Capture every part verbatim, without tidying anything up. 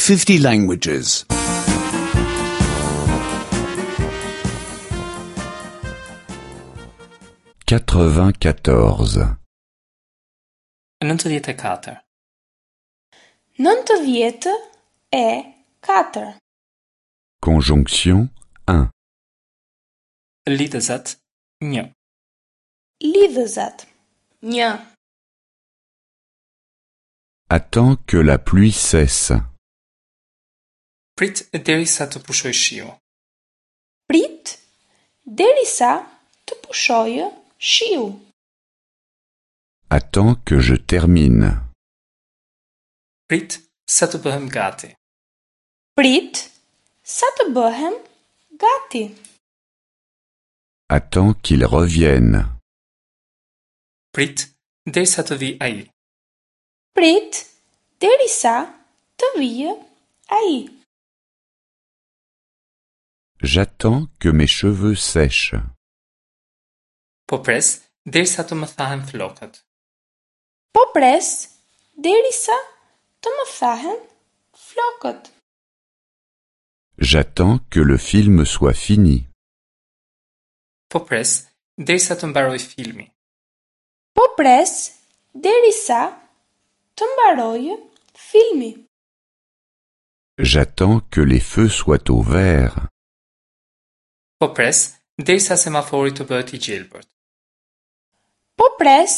fifty languages. Quatre-vingt-quatorze. Nëntëdhjetë e katër. Nëntëdhjetë e katër. Conjonction un. Lidhëzat një. Lidhëzat një. Attends que la pluie cesse. Prit derisa të pushojë shiu. Prit derisa të pushojë shiu. Attends que je termine. Prit sa të bëhem gati. Prit sa të bëhem gati. Attends qu'il revienne. Prit derisa të vijë ai. Prit derisa të vijë ai. J'attends que mes cheveux sèchent. Po pres derisa të më thahen flokët. Po pres derisa të më thahen flokët. J'attends que le film soit fini. Po pres derisa të mbarojë filmi. Po pres derisa të mbarojë filmi. J'attends que les feux soient au vert. Po pres derisa semafori të bëhet i gjelbërt. Po pres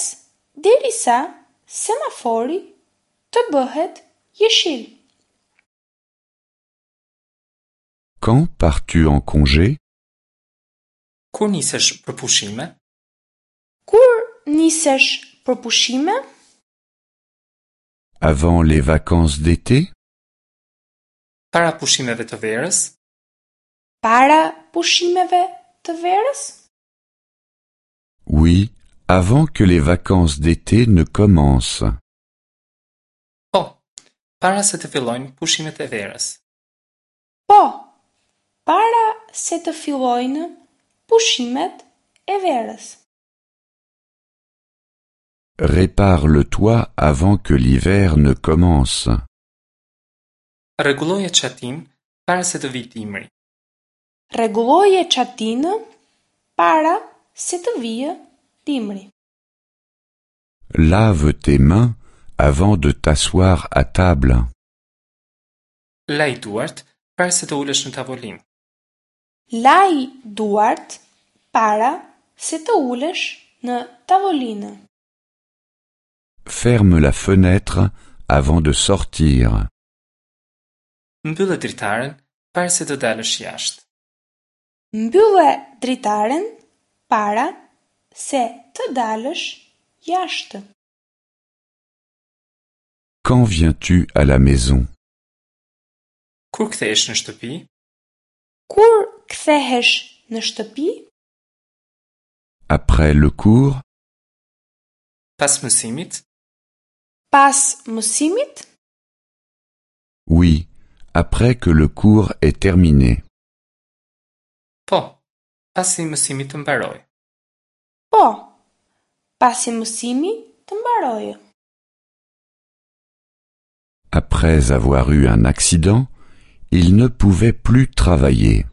derisa semafori të bëhet jeshil. Quand pars-tu en congé? Kur nisesh për pushime? Kur nisesh për pushime? Avant les vacances d'été? Para pushimeve të verës? Para pushimeve të verës? Oui, avant que les vacances d'été ne commencent. Po, para se të fillojnë pushimet e verës. Po, para se të fillojnë pushimet e verës. Répare le toit avant que l'hiver ne commence. Rregulloje çatinë para se të vijë dimri. Rregulloje çatinë para se të vijë dimri. Lave tes mains avant de t'asseoir à table. Laj duart para se të ulesh në tavolinë. Laj duart para se të ulesh në tavolinë. Ferme la fenêtre avant de sortir. Mbyllë dritaren para se të dalësh jashtë. Mbyllë dritaren para se të dalësh jashtë. Quand viens-tu à la maison? Kur kthehesh në shtëpi? Kur kthehesh në shtëpi? Après le cours? Pas mësimit? Pas mësimit? Oui, après que le cours est terminé. Po, pasi mësimi të mbarojë. Po, pasi mësimi të mbarojë. Après avoir eu un accident, il ne pouvait plus travailler.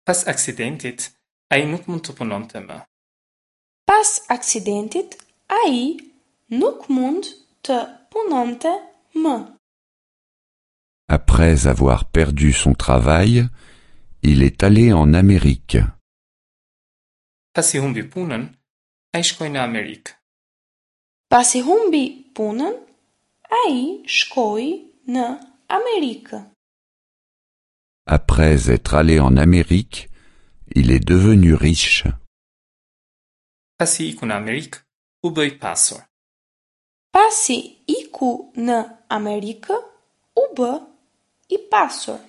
Pas aksidentit, ai nuk mund të punonte më. Pas aksidentit, ai nuk mund të punonte më. Après avoir perdu son travail, il est allé en Amérique. Pasi humbi punën, ai shkoi në Amerikë. Pasi humbi punën, ai shkoi në Amerikë. Après être allé en Amérique, il est devenu riche. Pasi iku në Amerikë, u bë i pasur. Pasi iku në Amerikë, u bë i pasur.